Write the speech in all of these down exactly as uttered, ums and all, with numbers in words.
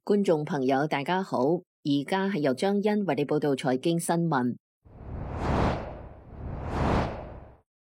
觀眾朋友大家好，而家係由張欣為你報道財經新聞。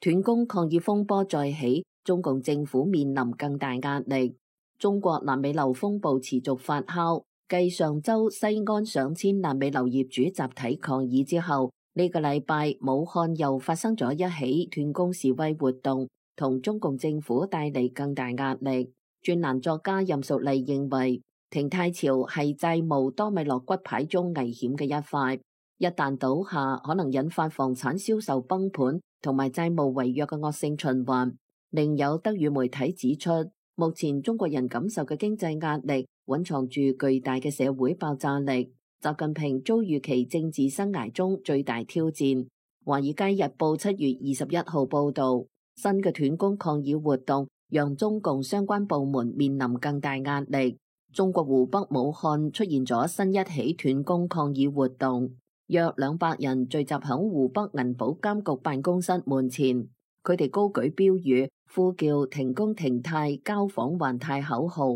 斷供抗議風波再起，中共政府面臨更大壓力。中國爛尾樓風暴持續發酵，繼上周西安上千爛尾樓業主集體抗議之後，呢個禮拜武漢又發生咗一起斷供示威活動，同中共政府帶嚟更大壓力。專欄作家任淑麗認為，停貸潮係債務多米諾骨牌中危險嘅一塊，一旦倒下，可能引發房產銷售崩盤同埋債務違約嘅惡性循環。另有德語媒體指出，目前中國人感受嘅經濟壓力蘊藏住巨大嘅社會爆炸力。習近平遭遇其政治生涯中最大挑戰。華爾街日報七月二十一號報道，新嘅斷供抗議活動讓中共相關部門面臨更大壓力。中國湖北武漢出現咗新一起斷供抗議活動，約兩百人聚集響湖北銀保監局辦公室門前，佢哋高舉標語，呼叫停工停貸、交房還貸口號。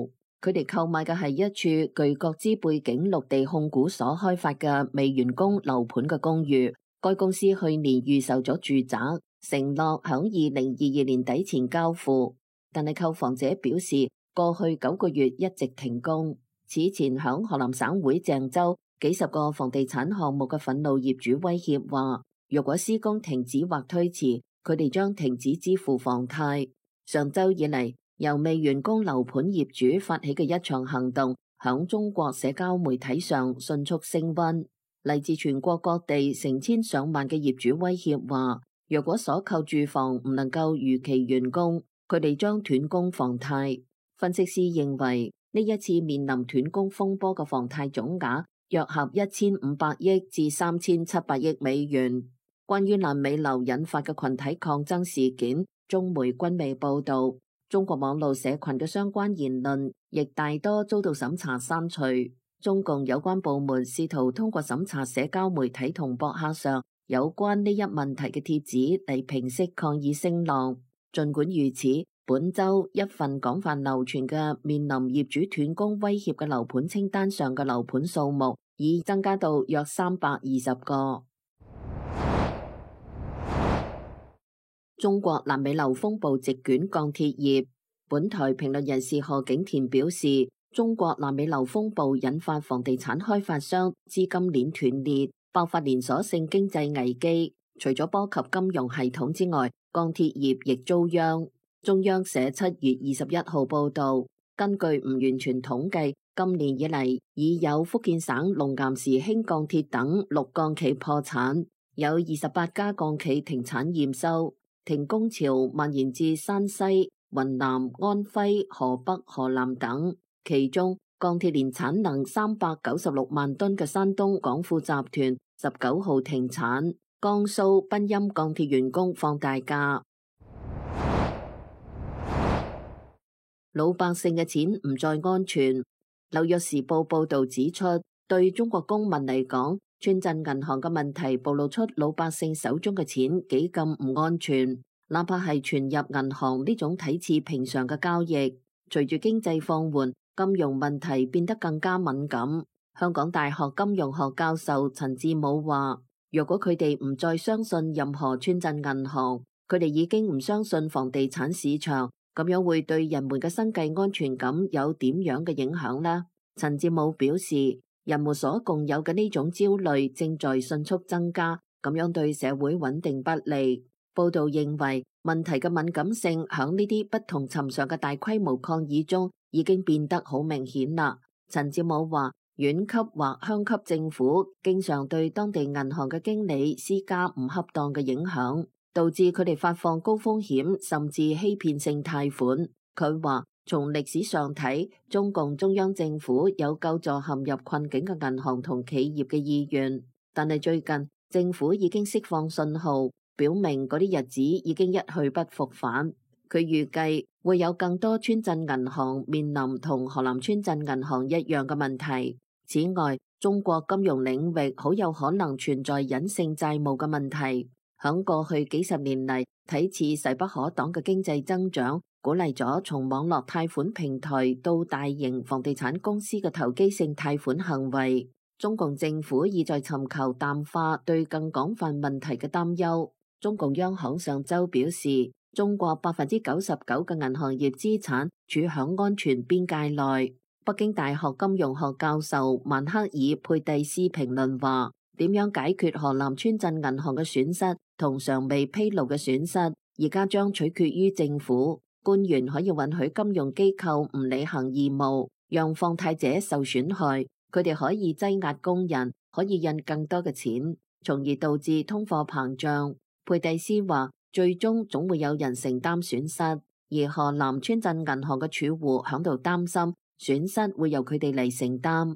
佢哋購買嘅係一處據國資背景綠地控股所開發嘅未完工樓盤嘅公寓。該公司去年預售咗住宅，承諾響二零二二年底前交付，但係購房者表示，過去九個月一直停工。此前響河南省會鄭州，幾十個房地產項目嘅憤怒業主威脅話，若果施工停止或推遲，佢哋將停止支付房貸。上周以嚟，由未完工樓盤業主發起嘅一場行動，響中國社交媒體上迅速升溫。嚟自全國各地成千上萬嘅業主威脅話，若果所購住房唔能夠如期完工，佢哋將斷供房貸。分析師認為，呢一次面臨斷供風波嘅房貸總額約合一千五百億至三千七百億美元。關於爛尾樓引發嘅群體抗爭事件，中媒均未報道。中國網絡社群嘅相關言論亦大多遭到審查刪除。中共有關部門試圖通過審查社交媒體同博客上有關呢一問題嘅帖子嚟平息抗議聲浪。儘管如此，本周一份廣泛流傳嘅面臨業主斷供威脅嘅樓盤清單上嘅樓盤數目已增加到約三百二十個。中國爛尾樓風暴席捲鋼鐵業。本台評論人士何景田表示，中國爛尾樓風暴引發房地產開發商資金鏈斷裂，爆發連鎖性經濟危機。除咗波及金融系統之外，鋼鐵業亦遭殃。中央社七月二十一號報道，根據唔完全統計，今年以嚟已有福建省龍岩時興鋼鐵等六鋼企破產，有二十八家鋼企停產驗收。停工潮蔓延至山西、雲南、安徽、河北、河南等。其中，鋼鐵年產能三百九十六萬噸嘅山東廣富集團十九號停產。江蘇賓鑫鋼鐵員工放大假。老百姓嘅錢唔再安全。紐約時報報道指出，對中國公民嚟講，村鎮銀行嘅問題暴露出老百姓手中嘅錢幾咁唔安全。哪怕係存入銀行呢種睇似平常嘅交易，隨住經濟放緩，金融問題變得更加敏感。香港大學金融學教授陳志武話，若果佢哋唔再相信任何村鎮銀行，佢哋已經唔相信房地產市場。咁樣會對人們嘅生計安全感有點樣嘅影響呢？陳志武表示，人們所共有嘅呢種焦慮正在迅速增加，咁樣對社會穩定不利。報道認為，問題嘅敏感性響呢啲不同尋常嘅大規模抗議中已經變得好明顯啦。陳志武話，縣級或鄉級政府經常對當地銀行嘅經理施加唔恰當嘅影響，導致佢哋發放高風險甚至欺騙性貸款。佢話，從歷史上睇，中共中央政府有救助陷入困境嘅銀行同企業嘅意願，但係最近政府已經釋放信號，表明嗰啲日子已經一去不復返。佢預計會有更多村鎮銀行面臨同河南村鎮銀行一樣嘅問題。此外，中國金融領域好有可能存在隱性債務嘅問題。響過去幾十年嚟，睇似勢不可擋嘅經濟增長，鼓勵咗從網絡貸款平台到大型房地產公司嘅投機性貸款行為。中共政府意在尋求淡化對更廣泛問題嘅擔憂。中共央行上週表示，中國百分之九十九嘅銀行業資產處響安全邊界內。北京大學金融學教授曼克爾佩蒂斯評論話：點樣解決河南村鎮銀行嘅損失同尚未披露嘅損失，而家將取決於政府。官員可以允許金融機構唔履行義務，讓放貸者受損害。佢哋可以擠壓工人，可以印更多嘅錢，從而導致通貨膨脹。佩蒂斯話：最終總會有人承擔損失，而河南村鎮銀行嘅儲戶響度擔心損失會由佢哋嚟承擔。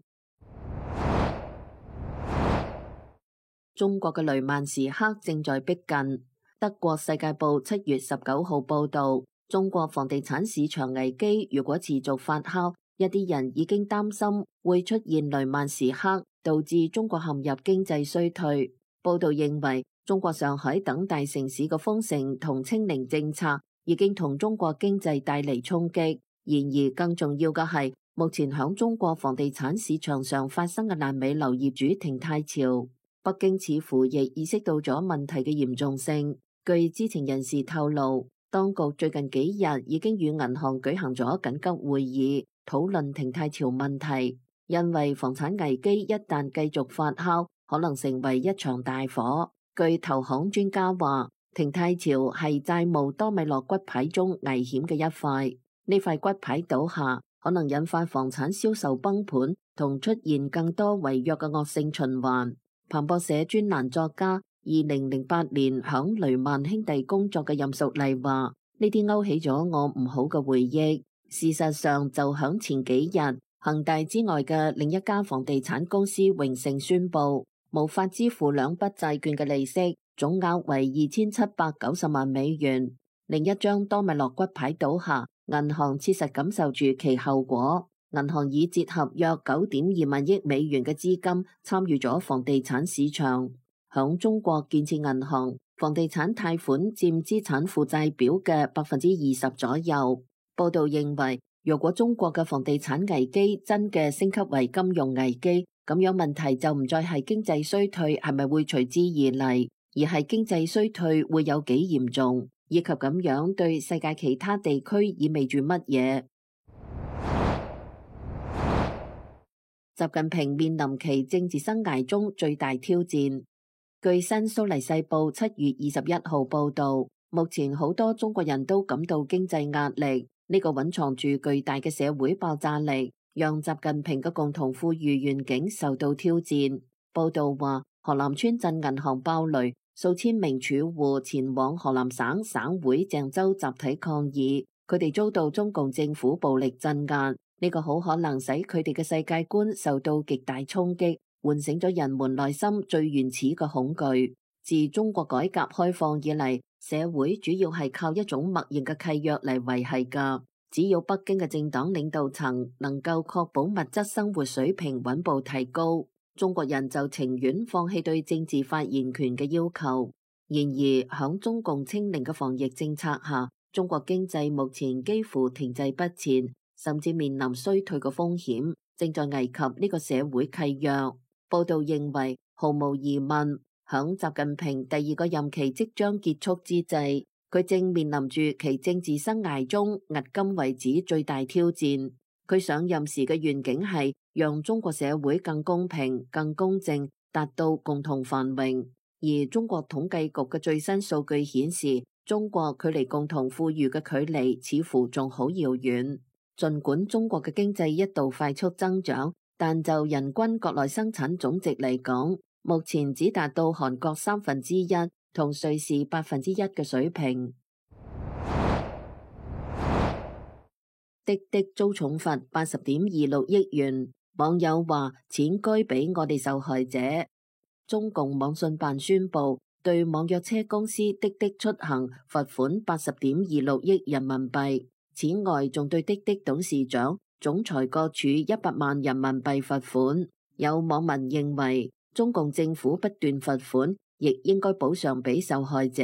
中國嘅雷曼時刻正在逼近。德國世界報七月十九號報導，中國房地產市場危機如果持續發酵，一啲人已經擔心會出現雷曼時刻，導致中國陷入經濟衰退。報道認為，中國上海等大城市嘅封城同清零政策已經同中國經濟帶嚟衝擊。然而，更重要嘅係，目前響中國房地產市場上發生嘅爛尾樓業主停貸潮，北京似乎亦意識到咗問題嘅嚴重性。據知情人士透露，當局最近幾日已經與銀行舉行咗緊急會議，討論停貸潮問題，因為房產危機一旦繼續發酵，可能成為一場大火。據投行專家話，停貸潮係債務多米諾骨牌中危險嘅一塊，呢塊骨牌倒下，可能引發房產銷售崩盤同出現更多違約嘅惡性循環。彭博社專欄作家二零零八年響雷曼兄弟工作嘅任淑麗話：呢啲勾起咗我唔好嘅回憶。事實上，就響前幾日，恒大之外嘅另一家房地產公司榮盛宣布無法支付兩筆債券嘅利息，總額為二千七百九十萬美元。另一張多米諾骨牌倒下，銀行切實感受住其後果。銀行已折合約九點二萬億美元嘅資金參與咗房地產市場。響中國建設銀行，房地產貸款佔資產負債表嘅百分之二十左右。報道認為，如果中國嘅房地產危機真嘅升級為金融危機，咁樣問題就唔再係經濟衰退係咪會隨之而嚟，而係經濟衰退會有幾嚴重，以及咁樣對世界其他地區意味住乜嘢。習近平面臨其政治生涯中最大挑戰。據新蘇黎世報七月二十一號報道，目前好多中國人都感到經濟壓力。呢個蘊藏住巨大嘅社會爆炸力，讓習近平嘅共同富裕願景受到挑戰。報道話，河南村鎮銀行爆雷，數千名儲戶前往河南省省會鄭州集體抗議，佢哋遭到中共政府暴力鎮壓。呢個好可能使佢哋嘅世界觀受到極大衝擊，喚醒咗人們內心最原始嘅恐懼。自中國改革開放以嚟，社會主要係靠一種默認嘅契約嚟維繫㗎。只要北京嘅政黨領導層能夠確保物質生活水平穩步提高，中國人就情願放棄對政治發言權嘅要求。然而，響中共清零嘅防疫政策下，中國經濟目前幾乎停滯不前，甚至面臨衰退嘅風險，正在危及呢個社會契約。報道認為，毫無疑問，響習近平第二個任期即將結束之際，佢正面臨住其政治生涯中迄今為止最大挑戰。佢上任時嘅願景係讓中國社會更公平、更公正，達到共同繁榮。而中國統計局嘅最新數據顯示，中國距離共同富裕嘅距離似乎仲好遙遠。儘管中國嘅經濟一度快速增長，但就人均國內生產總值嚟講，目前只達到韓國三分之一同瑞士百分之一嘅水平。滴滴遭重罰八十點二六億元，網友話錢該俾我哋受害者。中共網信辦宣布對網約車公司滴滴出行罰款八十點二六億人民幣，此外仲對滴滴董事長、總裁各處一百萬人民幣罰款。有網民認為，中共政府不斷罰款，亦應該補償俾受害者。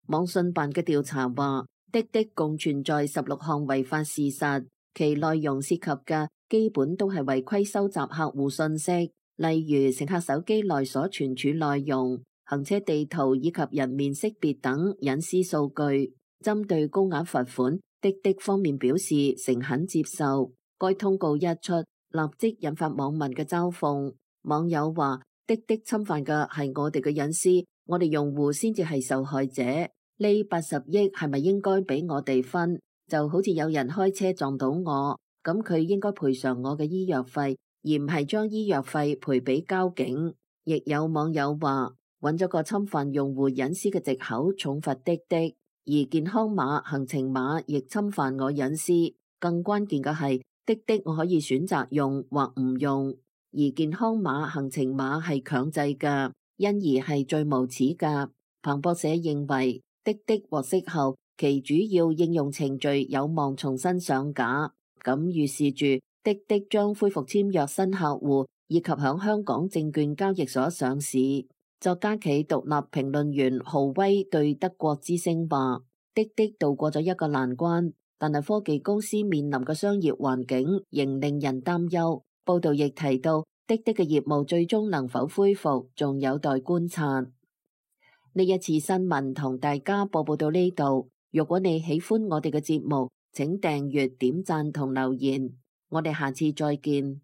網信辦嘅調查話，滴滴共存在十六項違法事實，其內容涉及嘅基本都係違規收集客戶信息，例如乘客手機內所存儲內容、行車地圖以及人面識別等隱私數據。針對高額罰款，滴滴方面表示誠懇接受。該通告一出，立即引發網民嘅嘲諷。網友話：滴滴侵犯嘅係我哋嘅隱私，我哋用戶先至係受害者。呢八十億係咪應該俾我哋分？就好似有人開車撞到我，咁佢應該賠償我嘅醫藥費，而唔係將醫藥費賠俾交警。亦有網友話，揾咗個侵犯用戶隱私嘅藉口重罰滴滴，而健康碼、行程碼亦侵犯我隱私。更關鍵嘅係，滴滴我可以選擇用或唔用，而健康碼、行程碼係強制嘅，因而係最無恥嘅。彭博社認為，滴滴獲釋後，其主要應用程序有望重新上架，咁預示住滴滴將恢復簽約新客戶，以及響香港證券交易所上市。作家企獨立評論員浩威對德國之聲話：滴滴渡過咗一個難關，但係科技公司面臨嘅商業環境仍令人擔憂。報道亦提到，滴滴嘅業務最終能否恢復，仲有待觀察。呢一次新聞同大家播報到呢度。如果你喜歡我哋嘅節目，請訂閱、點讚同留言。我哋下次再見。